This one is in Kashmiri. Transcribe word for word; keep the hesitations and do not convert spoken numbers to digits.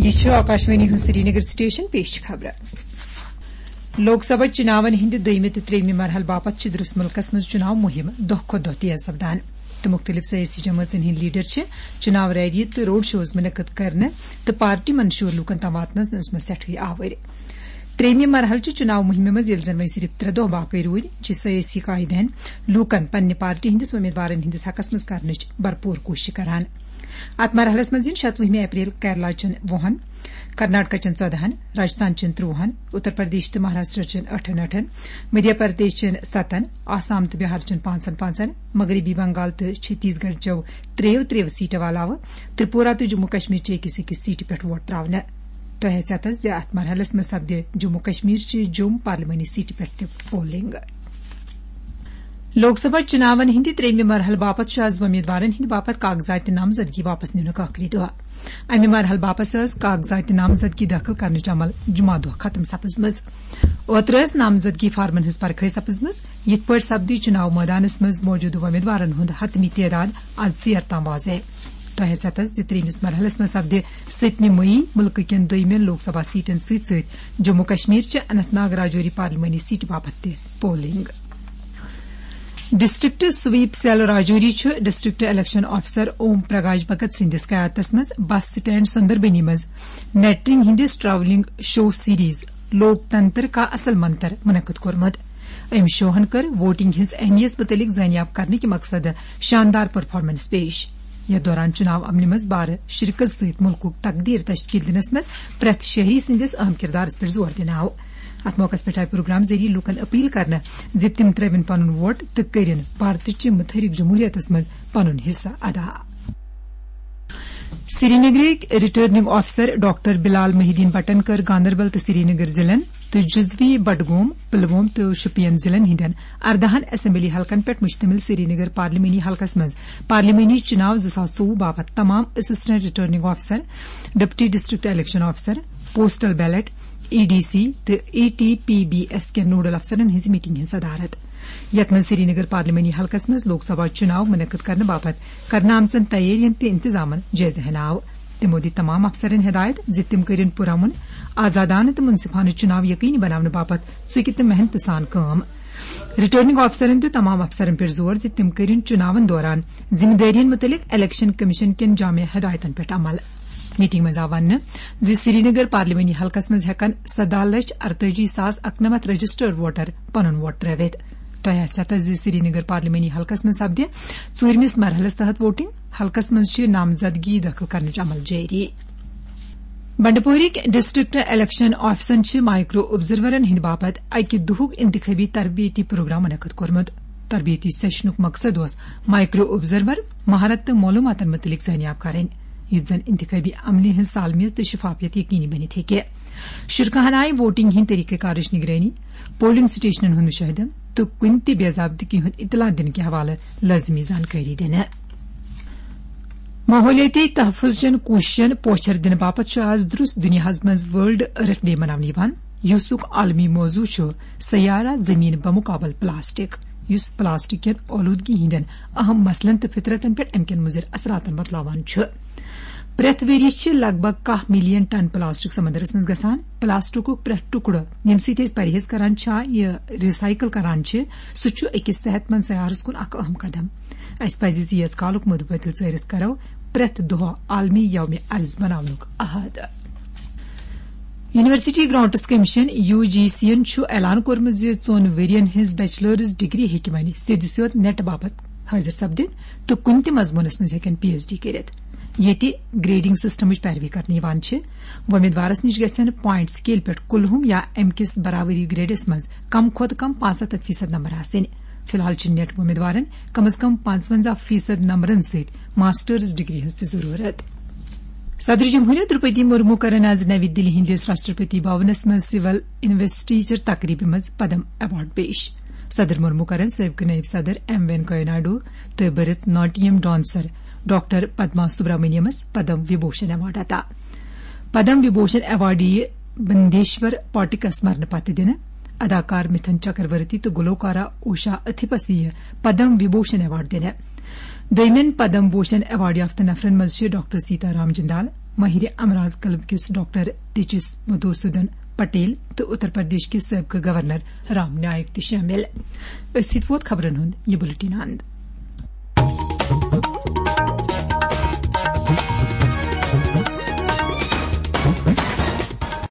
یہِ چھُ آکاشوانی ہُنٛد سرینگر سٹیشن، پیش چھِ خبرٕ۔ لوک سبھا چُناون ہٕنٛدِ دوٚیمہِ تہٕ ترٛیٚیمہِ مرحلہٕ باپتھ چھِ درس مُلکس منٛز چُناو مُہِم دۄہ کھۄتہٕ دۄہ تیز سپدان تہٕ مُختٔلِف سیٲسی جمٲژن ہٕنٛدۍ لیڈر چھِ چُناو ریلی تہٕ روڈ شوز مُنعقد کرنہٕ تہٕ پارٹی منشور لوٗکن تام واتنس منٛز سٮ۪ٹھٕے آوٕرۍ۔ ترٛیٚیمہِ مرحلہٕ چہِ چُناو مُہِمہِ منٛز ییٚلہِ زن وۄنۍ صرف ترٛےٚ دۄہ باقٕے روٗدۍ، چھِ سیٲسی قٲیدٕ ہٕنٛدۍ لوٗکن پننہِ پارٹی ہٕنٛدِس وۄمیدوارن ہٕنٛدِس حقس منٛز کرنٕچ بھرپوٗر کوٗشش کران۔ اتھ مرحلس منٛز یِن شتوُہمہِ اپریل کیرلا چٮ۪ن وُہن، کرناٹکا چٮ۪ن ژۄدہن، راجستھان چٮ۪ن ترٛوہن، اتر پردیش تہٕ مہاراشٹرا چٮ۪ن ٲٹھن ٲٹھن، مدھیہ پردیش چٮ۪ن ستن، آسام تہٕ بہار چٮ۪ن پانٛژن پانٛژن، مغربی بنگال تہٕ چھتیس گڑھ چٮ۪و ترٛیٚیو ترٛیٚیو سیٹو علاوٕ ترپورہ تہٕ جموں کشمیر چہِ أکِس أکِس سیٹہِ پٮ۪ٹھ ووٹ تراونہٕ۔ تۄہہِ آسہِ یاد زِ اتھ مرحلس منٛز سپدِ جموں کشمیر چہِ جوم پارلیمانی سیٹہِ پٮ۪ٹھ تہِ پولنگ۔ لوک سبھا چُناون ہٕنٛدِ ترٛیٚیمہِ مرحلہٕ باپتھ چھُ از وۄمیدوارن ہٕنٛدِ باپتھ کاغذاتہِ نامزدگی واپس نِنُک ٲخری دۄہ۔ امہِ مرحلہٕ باپتھ ٲس کاغذاتہِ نامزدگی دٲخل کرنٕچ عمل جمعہ دۄہ ختم سپٕزمٕژ۔ اوترٕ ٲس نامزدگی فارمن ہٕنٛز پرکھٲے سپٕزمٕژ، یِتھ پٲٹھۍ سپدِ چُناو مٲدانس منٛز موجودٕ وۄمیدوارن ہُنٛد حتمی تعداد از ژیر تام واضح۔ تۄہہِ آسہِ یاد زِ ترٛیٚیمِس مرحلس منٛز سپدِ سٔتمہِ مئی مُلکہٕ کٮ۪ن دوٚیمٮ۪ن لوک سبھا سیٹن سۭتۍ سۭتۍ جموں کشمیر چہِ اننت ناگ راجوری پارلیمانی سیٹہِ باپتھ تہِ polling. District SVEEP cell Rajouri چھُ district election officer Om Prakash Bhagat سٕنٛدِس قیادتس منٛز بس سٹینڈ سندربنی منٛز میٹرنگ ہٕنٛدِس ٹریولنگ شو سیریز لوک تنتر کا اصل منتر منعقد کوٚرمُت۔ أمۍ شوہن کٔر ووٹنگ ہٕنٛز اہمیت مُتعلق زٲنیاب کرنہٕ کہِ مقصدٕ شاندار پرفارمنس پیش۔ یتھ دوران چُناو عملہِ منٛز بارٕ شرکت سۭتۍ مُلکُک تقدیر تشکیل دِنس منٛز پرٛٮ۪تھ شہری سٕنٛدِس اہم کردارس پٮ۪ٹھ زور دِنہٕ آو۔ اتھ موقعس پٮ۪ٹھ آیہِ پروگرام ذٔریعہٕ لوٗکن اپیل کرنہٕ زِ تِم ترٲوِن پنُن ووٹ تہٕ کٔرِن بھارتٕچہِ متحرک جمہوریتس منٛز پنُن حصہٕ ادا۔ سرینگرٕکۍ ریٹرننگ آفیسر ڈاکٹر بلال محی الدین بٹن کٔر گاندربل تہٕ سرینگر ضلعن تہٕ جزوی بڈگوم، پلووم تہٕ شوپین ضلعن ہٕنٛدٮ۪ن اردہن اسمبلی حلقن پٮ۪ٹھ مشتمل سرینگر پارلیمانی حلقس منٛز پارلیمانی چُناو زٕ ساس ژوٚوُہ باپتھ تمام assistant returning officer, deputy district election officer, postal ballot, E D C تہٕ A T P B S کٮ۪ن نوڈل افسرن ہٕنٛز میٹنگ ہٕنٛز صدارت، یتھ منٛز سرینگر پارلیمانی حلقس منٛز لوک سبھا چُناو منعقد کرنہٕ باپتھ کرنہٕ آمژن تیٲرین تہٕ انتظامن جٲیزٕ ہینہٕ آو۔ تِمو دِتۍ تمام افسرن ہدایت زِ تِم کٔرِن پُرامن، آزادانہٕ تہٕ منصفانہٕ چُناو یقینی بناونہٕ باپتھ ژُکہِ تہٕ محنتہٕ سان کٲم۔ ریٹرننگ آفیسرن دیُت تمام افسرن پٮ۪ٹھ زور زِ تِم کٔرِن چُناون دوران ذمہٕ دٲرین مُتعلق الیکشن کمیشن کٮ۪ن جامع ہدایتن پٮ۪ٹھ عمل۔ میٹنگ منٛز آو وننہٕ زِ سرینگر پارلیمانی حلقس منٛز ہٮ۪کن سداہ لچھ ارتٲجی ساس اکنمتھ رجسٹرڈ ووٹر پنُن ووٹ ترٲوِتھ۔ تۄہہِ آسہِ پتہ زِ سرینگر پارلیمانی حلقس منٛز سپدِ ژوٗرمِس مرحلس تحت ووٹنگ۔ حلقس منٛز چھِ نامزدگی دٲخل کرنٕچ عمل جٲری۔ بنڈپورٕکۍ ڈسٹرکٹ الیکشن آفیسن چھِ مائیکرو آبزرورن ہٕنٛدِ باپتھ اکہِ دۄہُک انتخابی تربیتی پروگرام منعقد کوٚرمُت۔ تربیتی سیشنُک مقصد اوس مائیکرو آبزرور مہارت تہٕ معلوماتن مُتعلق زٲنیاب کرٕنۍ، یُتھ زن انتخابی عملہِ ہٕنٛز سالمیت تہٕ شفافیت یقینی بٔنِتھ ہیٚکہِ۔ شرکاہن آیہِ ووٹنگ ہٕنٛدۍ طریقہٕ کارٕچ نگرٲنی، پولنگ سٹیشنن ہُنٛد مشاہدٕ تہٕ کُنہِ تہِ بے ضابطگی ہُنٛد اطلاع دِنہٕ کہِ حوالہٕ لٲزمی زانکٲری دِنہٕ۔ ماحولیٲتی تحفظ چٮ۪ن کوٗششن پوچھر دِنہٕ باپتھ چھُ آز درُس دُنیاہس منٛز ورلڈ ارتھ ڈے مناونہٕ یِوان، یُسُک عالمی موضوع چھُ سیارہ زمین بمقابل پلاسٹک، یُس پلاسٹک کٮ۪ن آلودگی ہٕنٛدٮ۪ن اہم مسلن تہٕ فطرتن پٮ۪ٹھ امہِ کٮ۪ن مُضر اثراتن بتلاوان چھُ۔ پرٛٮ۪تھ ؤرۍ یہِ چھِ لگ بگ کاہ ملین ٹن پلاسٹک سمندرس منٛز گژھان۔ پلاسٹکُک پرٛٮ۪تھ ٹُکڑٕ، ییٚمہِ سۭتۍ أسۍ پرہیز کران چھا، یہِ ریسائیکل کران چھِ، سُہ چھُ أکِس صحت مند سیارس کُن اکھ اہم قدم۔ اسہِ پزِ زِ ییٖژ کالُک مُدٕ پٔتِل ژٲرِتھ کرو پرٛٮ۪تھ دۄہ عالمی یومِ ارض بناونُک عہد۔ یونیورسٹی گرانٹس کمیشن، یو جی سی ین، چھُ اعلان کوٚرمُت زِ ژۄن ؤرین ہٕنٛز بیچلرز ڈگری ہیٚکہِ وۄنۍ سیوٚدِ سیوٚد نیٹ باپتھ حٲضِر سپدِتھ تہٕ کُنہِ تہِ مضموٗنس منٛز ہیٚکن پی ایچ ڈی کٔرِتھ۔ ییٚتہِ گریڈنگ سسٹمٕچ پیروی کرنہٕ یِوان چھِ۔ وۄمیدوارس نِش گژھن پوینٹ سکیل پٮ۪ٹھ کُلہُم یا امہِ کِس برابری گریڈس منٛز کم کھۄتہٕ کم پانٛژستتھ فیصد نمبر آسٕنۍ۔ فی الحال چھِ نیٹ وۄمیدوارن کم از کم پانٛژونزاہ فیصد نمبرن سۭتۍ ماسٹرز ڈگری ہٕنٛز تہِ ضروٗرت۔ صدر جمہوریہ درپدی مرمو کرن از نوی دِلی ہٕنٛدِس راشٹرپتی بھونس منٛز سول انویسٹیچر تقریبہِ منٛز پدم ایوارڈ پیش۔ صدر مرمو کرن سٲبقہٕ نٲیِب صدر ایم وینکیا نائیڈو تہٕ بھرت ناٹیم ڈانسر ڈاکٹر پدما سبرامنیمس پدم وبھوشن ایوارڈ عطا۔ پدم وبھوشن ایوارڈ یِیہِ بندیشور پاٹکس مرنہٕ پتہٕ دِنہٕ۔ اداکار متھن چکرورتی تہٕ گلوکارہ اوشا اتھیپس یِیہِ پدم وبھوشن ایوارڈ دِنہٕ۔ دوٚیمٮ۪ن پدم بھوشن ایوارڈ یافتہٕ نفرن منٛز چھِ ڈاکٹر سیتا رام جندال، ماہر امراض قلب کِس ڈاکٹر تیجس مدھوسودن پٹیل تہٕ اتر پردیش کِس سٲبقہٕ گورنر رام نائک تہِ شٲمِل۔ أتھۍ سۭتۍ ووت خبرن ہُنٛد یہِ بُلٹن اند۔